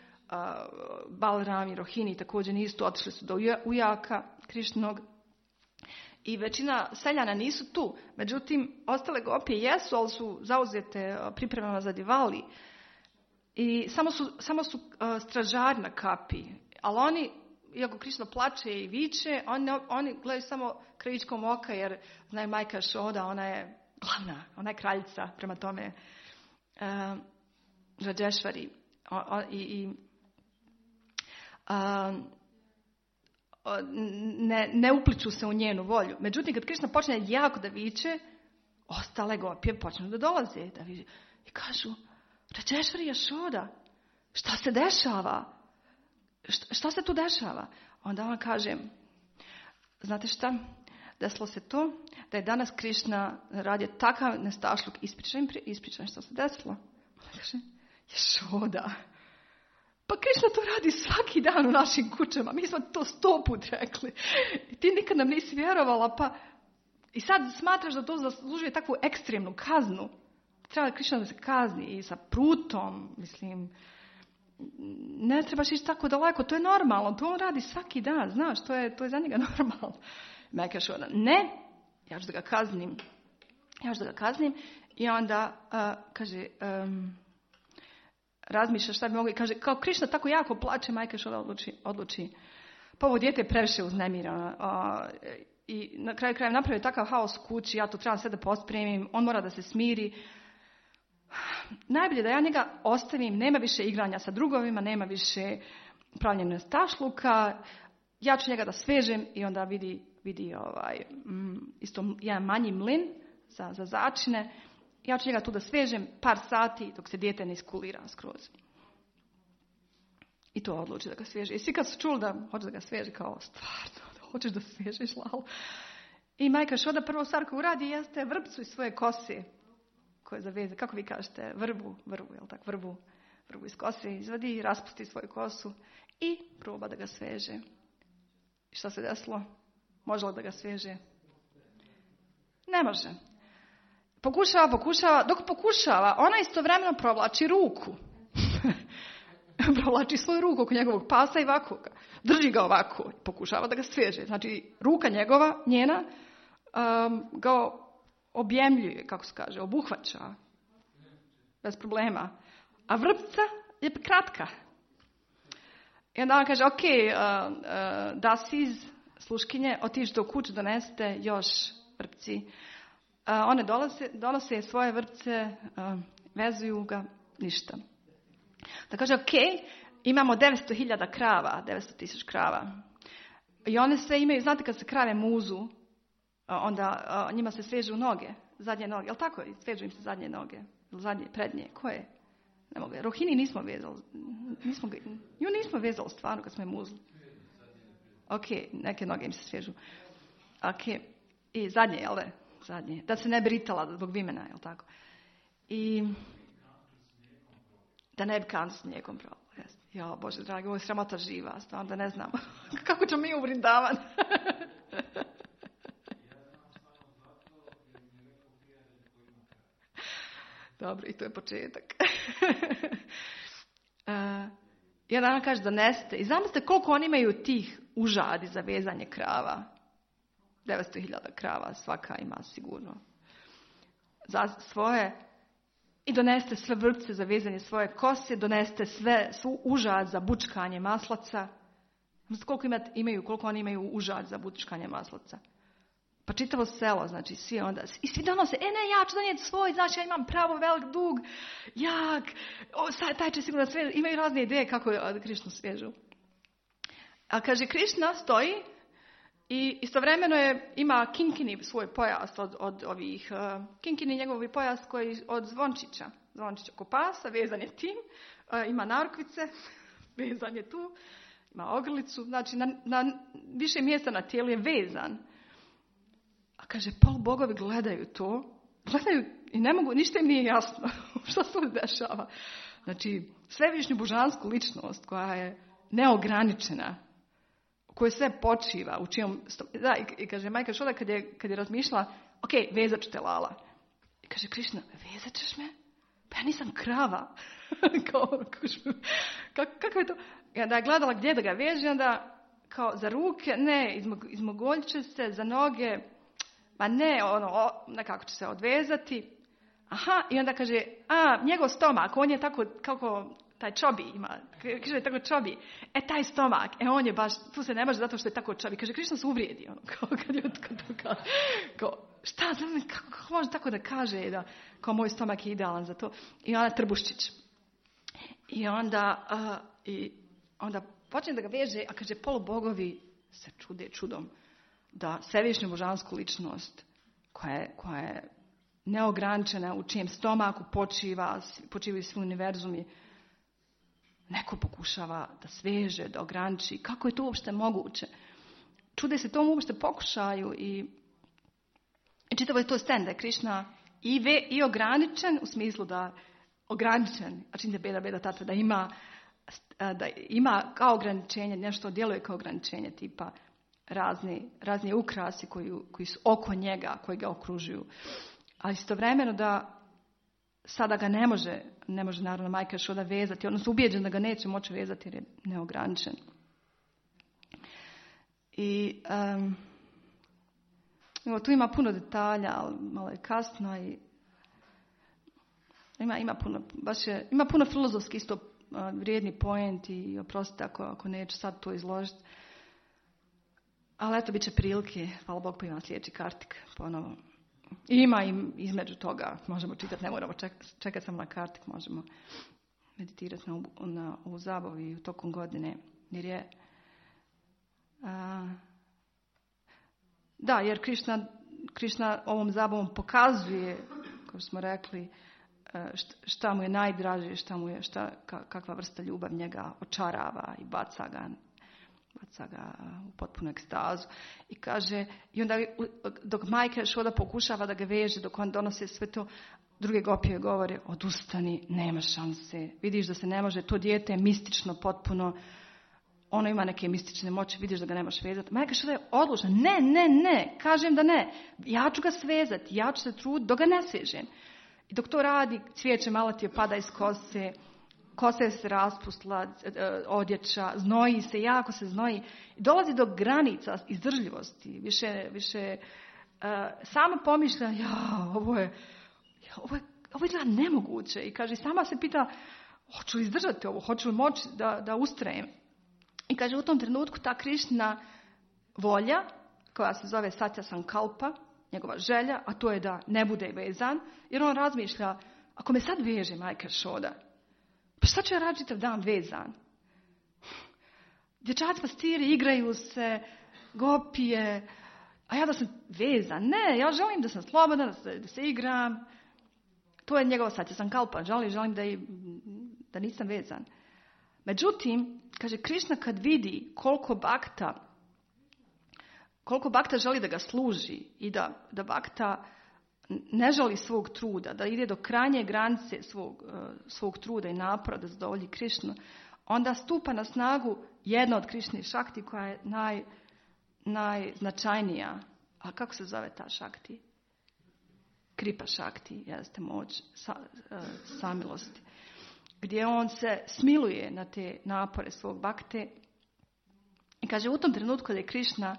Balram i Rohini također nisu tu, otišli su do ujaka Krišnog. I većina seljana nisu tu. Međutim, ostale gopije jesu, ali su zauzete pripremama za Divali. I samo su, samo su uh, stražari na kapi. Ali oni, iako Krišna plače i viče, oni, oni gledaju samo krajičkom oka, jer znaju majka Šoda, ona je glavna, ona je kraljica, prema tome uh, Rađešvari. O, o, i, i, uh, Ne, ne upliču se u njenu volju. Međutim, kad Krišna počne jako da viče, ostale gopije počnu da dolaze. Da viče. I kažu, Rađešvari Jašoda, šta se dešava? Šta, šta se tu dešava? Onda on kaže, znate šta? Desilo se to da je danas Krišna radio takav nestašluk. Ispričaj, ispričaj što se desilo. Ona kaže, Jašoda. Pa Krišna to radi svaki dan u našim kućama. Mi smo to sto put rekli. I ti nikad nam nisi vjerovala. Pa... I sad smatraš da to zaslužuje takvu ekstremnu kaznu. Treba Krišna da se kazni i sa prutom. Mislim, ne trebaš ići tako daleko. To je normalno. To on radi svaki dan. Znaš, to je, to je za njega normalno. Majka Šoda, ne, ja ću da ga kaznim. Ja ću da ga kaznim. I onda uh, kaže... Um, razmišlja šta bi mogli, kaže, kao Krišna tako jako plače, majka Šoda odluči, odluči. Pa ovo dijete je previše uznemirano. I na kraju kraja napravio takav haos u kući, ja to trebam sve da pospremim, on mora da se smiri. Najbolje da ja njega ostavim, nema više igranja sa drugovima, nema više pravljenja stašluka, ja ću njega da svežem i onda vidi, vidi ovaj, isto jedan manji mlin za, za začine. Ja ću njega tu da svežem par sati dok se dijete ne iskulira skroz. I to odluči da ga sveže. I svi kad su čuli da hoće da ga sveže, kao stvarno, da hoćeš da svežeš, lal. I majka Šoda prvo stvar koju uradi jeste vrpcu iz svoje kose. Koje zaveze, kako vi kažete, vrbu, vrbu, jel tako, vrbu, vrbu iz kose izvadi, raspusti svoju kosu i proba da ga sveže. I šta se desilo? Može li da ga sveže? Ne može. Pokušava, pokušava, dok pokušava, ona istovremeno provlači ruku. Provlači svoju ruku oko njegovog pasa i ovako ga. Drži ga ovako, pokušava da ga sveže. Znači, ruka njegova, njena, um, ga objemljuje, kako se kaže, obuhvaća. Bez problema. A vrpca je kratka. I onda on kaže, ok, uh, uh, Dasiz, sluškinje, otići do kuće, donesete još vrpci. Uh, one dolose, donose svoje vrpce, uh, vezuju ga, ništa. Da kaže, ok, imamo devetsto hiljada krava, devetsto tisuća krava. I one sve imaju, znate kad se krave muzu, uh, onda uh, njima se svežu noge, zadnje noge. Jel tako? Svežu im se zadnje noge. Zadnje, prednje. Koje? Ne mogu. Rohini nismo vezali. Nismo, nju nismo vezali stvarno kad smo je muzli. Ok, neke noge im se svežu. Ok, i zadnje, jel da? Zadnje. Da se ne bi ritala zbog vimena, jel tako? I da ne bi kan s njegom brala. Ja, Bože dragi, ovo je sramota živa, stvarno da ne znam. Kako ćemo mi u Vrindavan? Dobro, i to je početak. uh, jedan kaže da neste. I zamislite koliko oni imaju tih užadi za vezanje krava. devetsto hiljada krava svaka ima sigurno. Za svoje. I doneste sve vrpce za vezanje svoje kose. Doneste sve, svu užad za bučkanje maslaca. Zamislite koliko imaju, koliko oni imaju užad za bučkanje maslaca. Pa čitavo selo, znači svi onda, i svi donose, e ne, ja ću donijeti svoj, znači ja imam pravo, velik dug, jak, o, sad, taj će sigurno svežu, imaju razne ideje kako Krišnu svežu. A kaže, Krišna stoji i istovremeno je, ima kinkini svoj pojas od, od ovih, uh, kinkini njegovi pojas koji od zvončića, zvončića oko pasa, vezan je tim, uh, ima narukvice, vezan je tu, ima ogrlicu, znači na, na više mjesta na tijelu je vezan. A kaže, polubogovi gledaju to, gledaju i ne mogu, ništa im nije jasno što se ovdje dešava. Znači, svevišnju božansku ličnost koja je neograničena, u kojoj sve počiva, u čijom... Da, i, i kaže, majka Šoda kad je, kad je razmišljala, ok, vezat ću te, Lala. I kaže, Krišna, vezat ćeš me? Pa ja nisam krava. Kao, kako, kako je to? I onda je gledala gdje da ga veže, onda kao za ruke, ne, izmogoljit će se, za noge, ma ne, ono, o, nekako će se odvezati. Aha, i onda kaže, a, njegov stomak, on je tako, kako taj čobi ima, kaže, tako čobi, e, taj stomak, e, on je baš, tu se ne može zato što je tako čobi. Kaže, Krišna se uvrijedi, ono, kao kad je kad to kaže, kao, šta, kako, kako može tako da kaže, da, kao moj stomak je idealan za to. I ona Trbuščić. I onda, uh, i onda počne da ga veže, a kaže, polubogovi se čude čudom da svevišnju božansku ličnost koja je, koja je neograničena, u čijem stomaku počiva, počivaju svi univerzumi, neko pokušava da sveže, da ograniči. Kako je to uopšte moguće? Čude se tomu uopšte pokušaju i, i čitavo je to sten da je Krišna i, ve, i ograničen u smislu da ograničen, a čim te beda, beda tata, da ima, da ima kao ograničenje, nešto djeluje kao ograničenje, tipa razni, razni ukrasi koji, koji su oko njega, koji ga okružuju. Ali istovremeno da sada ga ne može, ne može naravno majka Šoda vezati, odnosno ubijeđen da ga neće moći vezati jer je neograničen. I um, evo, tu ima puno detalja, ali malo je kasno i ima, ima puno, baš je, ima puno filozofski isto uh, vrijedni point i oprostite ako, ako neću sad to izložiti. Ali eto, bit će prilike, hvala Bog, pa imam sljedeći kartik ponovo. I ima im između toga, možemo čitati, ne moramo čekati čekat samo na kartik, možemo meditirati na, na ovu zabavu i u tokom godine. Jer je, a, da, jer Krišna, Krišna ovom zabavom pokazuje, kao smo rekli, šta mu je najdraže, šta mu je, šta, kakva vrsta ljubav njega očarava i baca ga baca ga u potpunu ekstazu. I kaže, i onda dok majka Šoda pokušava da ga veže, dok on donose sve to, druge gopije govore, odustani, nema šanse. Vidiš da se ne može, to dijete je mistično potpuno, ono ima neke mistične moći, vidiš da ga nemaš vezati. Majka Šoda je odlučna, ne, ne, ne, kažem da ne, ja ću ga svezati, ja ću se truditi dok ga ne svežem. I dok to radi, cvijeće malo ti je pada iz kose, kosa se raspustila, odjeća, znoji se, jako se znoji. I dolazi do granica izdržljivosti. Više, više uh, sama pomišlja, ja, ovo je, ja, ovo je, ovo je nemoguće. I kaže, sama se pita, hoću li izdržati ovo, hoću li moći da, da ustrajem. I kaže, u tom trenutku ta Krišna volja, koja se zove Satya Sankalpa, njegova želja, a to je da ne bude vezan, jer on razmišlja, ako me sad veže majka Šoda, pa šta ću ja raditi čitav dan vezan? Dječaci pastiri igraju se, gopije, a ja da sam vezan. Ne, ja želim da sam slobodan, da se, da se igram. To je njegova Satya Sankalpa. Želim, želim da, i, da nisam vezan. Međutim, kaže Krišna kad vidi koliko bakta, koliko bakta želi da ga služi i da, da bakta ne želi svog truda, da ide do krajnje granice svog, svog truda i napora da zadovolji Krišnu, onda stupa na snagu jedna od Krišnih šakti koja je naj, najznačajnija. A kako se zove ta šakti? Kripa šakti, jeste moć sa, samilosti. Gdje on se smiluje na te napore svog bakte. I kaže, u tom trenutku kad je Krišna,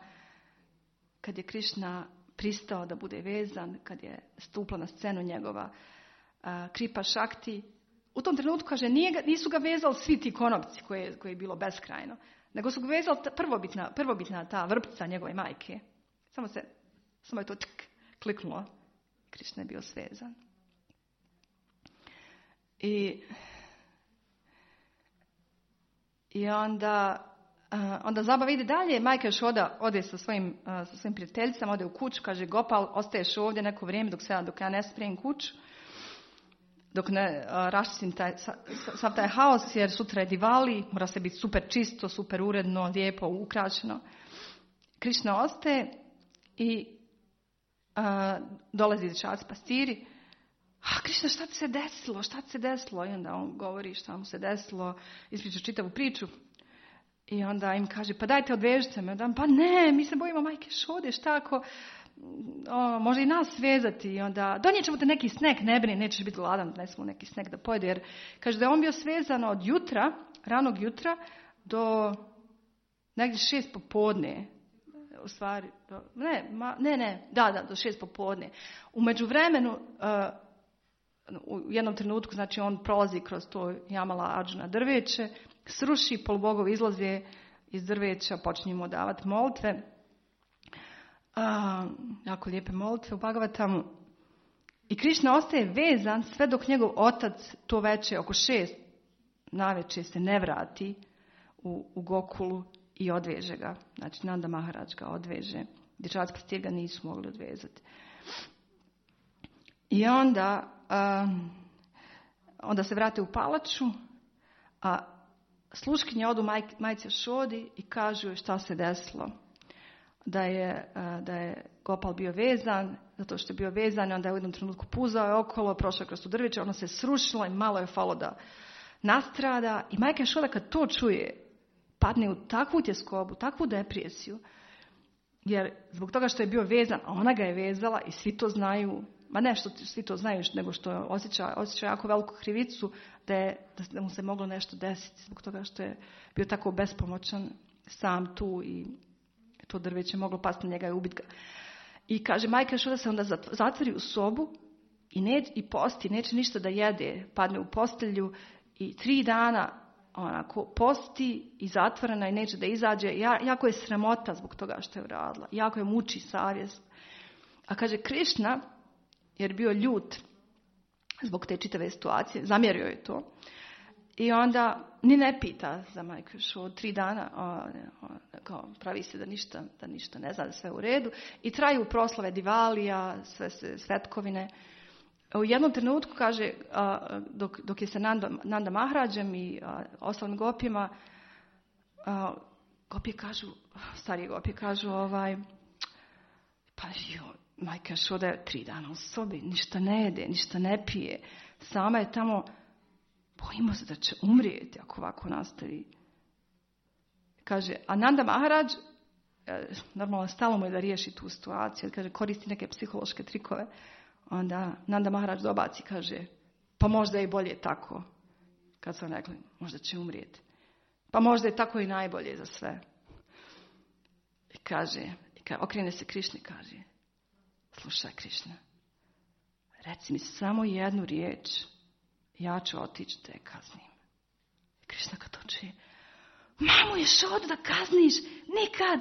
kad je Krišna pristao da bude vezan, kad je stupla na scenu njegova a, kripa šakti, u tom trenutku, kaže, nije ga, nisu ga vezali svi ti konopci koje, koje je bilo beskrajno, nego su ga vezali ta prvobitna, prvobitna ta vrpca njegove majke. Samo se, samo je to tk, kliknulo. Krišna je bio svezan. I, i onda Uh, onda zabava ide dalje, majka Šoda ode sa svojim, uh, sa svojim prijateljicama, ode u kuću, kaže Gopal, ostaješ ovdje neko vrijeme dok, se, dok ja ne spremim kuću. dok ne raščistim taj, sav taj haos, jer sutra je Divali, mora se biti super čisto, super uredno, lijepo, ukrašeno. Krišna ostaje i a, dolazi dječaci pastiri. A Krišna, šta ti se desilo? Šta ti se desilo? I onda on govori šta mu se desilo, ispriča čitavu priču. I onda im kaže, pa dajte odvežite me. Pa ne, mi se bojimo majke Šode, šta ako o, može i nas svezati. I onda donijet ćemo te neki snack, ne brini, nećeš biti gladan, donesemo neki snack da pojede. Jer kaže da je on bio svezan od jutra, ranog jutra, do negdje šest popodne. U stvari, do, ne, ma, ne, ne, da, da, do šest popodne. U međuvremenu, uh, u jednom trenutku, znači on prolazi kroz to Jamala Arjuna drveće, sruši, polubogovi izlaze iz drveća, počinju mu davati molitve. Uh, jako lijepe molitve u Bhagavatamu. I Krišna ostaje vezan sve dok njegov otac to veče oko šest navečer se ne vrati u, u Gokulu i odveže ga. Znači Nanda Maharaj ga odveže. Dječaci pastir ga nisu mogli odvezati. I onda, um, onda se vrate u palaču, a sluškinje odu maj, majci Šodi i kažu šta se desilo. Da je, da je Gopal bio vezan, zato što je bio vezan, onda je u jednom trenutku puzao je okolo, prošao kroz tu drveće, ono se srušilo i malo je falo da nastrada. I majka Šoda kad to čuje, padne u takvu tjeskobu, takvu depresiju, jer zbog toga što je bio vezan, a ona ga je vezala i svi to znaju, ma ne što svi to znaju, nego što osjeća, osjeća jako veliku krivicu da, je, da mu se moglo nešto desiti, zbog toga što je bio tako bespomoćan sam tu i to drveće moglo pasti na njega i ubiti ga. I kaže, majka Šoda se onda zatvori u sobu i, ne, i posti, neće ništa da jede, padne u postelju i tri dana onako posti i zatvorena i neće da izađe. Ja, jako je sramota zbog toga što je uradila. Jako je muči savjest. A kaže Krišna, jer bio ljut zbog te čitave situacije, zamjerio je to. I onda ni ne pita za majku Šodu tri dana, o, o, kao, pravi se da ništa, da ništa ne zna, da sve u redu. I traju proslave Divalija, sve se svetkovine. U jednom trenutku, kaže, a, dok, dok je sa Nanda, Nanda Maharađem i a, ostalim gopijama, a, gopije kažu, starije gopije kažu, ovaj, pa jo, majka Šoda je tri dana u sobi, ništa ne jede, ništa ne pije, sama je tamo, bojimo se da će umrijeti ako ovako nastavi. Kaže, a Nanda Maharaj, normalno stalo mu je da riješi tu situaciju, kaže, koristi neke psihološke trikove. Onda Nanda Maharaj dobaci, kaže, pa možda je i bolje tako. Kad su rekli, možda će umrijeti. Pa možda je tako i najbolje za sve. I kaže, i kaže okrene se Krišni, kaže, slušaj Krišna, reci mi samo jednu riječ, ja ću otići da je kaznim. I Krišna kad to čuje, mamu je Šodu da kazniš, nikad.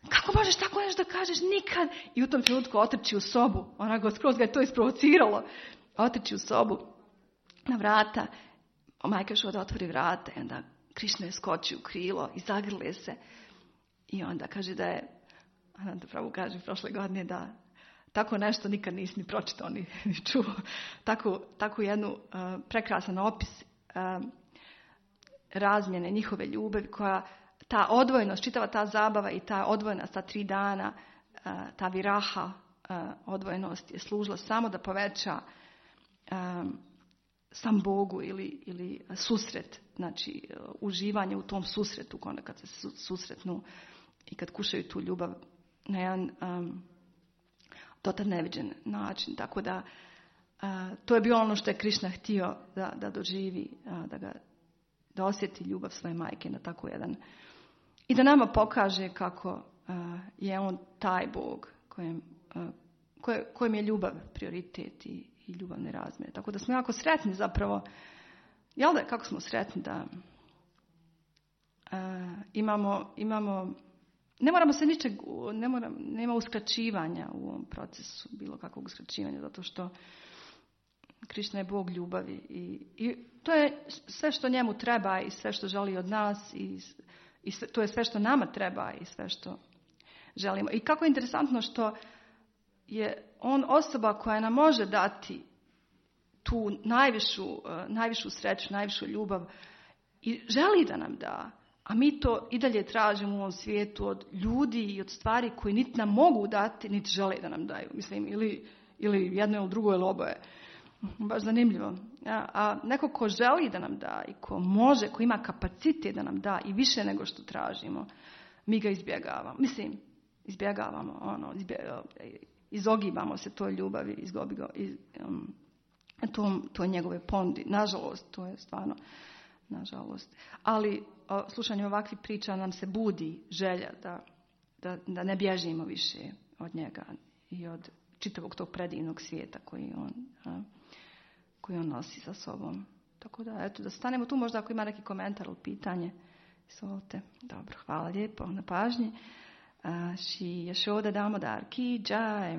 Kako možeš tako nešto da kažeš, nikad. I u tom trenutku otrči u sobu. Ona go skroz ga je to isprovociralo. Otrči u sobu na vrata. O majka Šoda otvori vrata. I onda Krišna je skoči u krilo i zagrle se. I onda kaže da je, Ananda Prabhu kaže prošle godine da tako nešto nikad nisi ni pročitao ni, ni čuo. Tako, tako jednu uh, prekrasan opis uh, razmjene njihove ljubavi koja ta odvojenost, čitava ta zabava i ta odvojenost, ta tri dana, ta viraha, odvojenost je služila samo da poveća um, sam Bogu ili, ili susret, znači uživanje u tom susretu, onda kad se susretnu i kad kušaju tu ljubav na jedan um, dotad neviđen način. Tako da uh, to je bilo ono što je Krišna htio da, da doživi, uh, da, ga, da osjeti ljubav svoje majke na tako jedan. I da nama pokaže kako uh, je on taj Bog kojem, uh, koje, kojem je ljubav prioritet i, i ljubavne razmjere. Tako da smo jako sretni zapravo. Jel da, kako smo sretni da uh, imamo, imamo, ne moramo se ničeg, ne moram, nema uskraćivanja u ovom procesu, bilo kakvog uskraćivanja, zato što Krišna je Bog ljubavi i, i to je sve što njemu treba i sve što želi od nas i I sve, to je sve što nama treba i sve što želimo. I kako je interesantno što je on osoba koja nam može dati tu najvišu, najvišu sreću, najvišu ljubav i želi da nam da. A mi to i dalje tražimo u ovom svijetu od ljudi i od stvari koji niti nam mogu dati, niti žele da nam daju. Mislim, ili, ili jedno ili drugo ili oboje. Baš zanimljivo. A, a neko ko želi da nam da i ko može, ko ima kapacitet da nam da i više nego što tražimo, mi ga izbjegavamo. Mislim, izbjegavamo, ono, izbjegavamo, izogibamo se toj ljubavi, izgobigo, iz, um, to, to je njegove ponudi. Nažalost, to je stvarno, nažalost. Ali o, slušanje ovakvih priča nam se budi želja da, da, da ne bježimo više od njega i od čitavog tog predivnog svijeta koji on, a, koji on nosi sa sobom. Tako da, eto, da stanemo tu možda ako ima neki komentar ili pitanje. Izvolite. Dobro, hvala lijepo na pažnji. Shri Yashoda Damodar ki jai.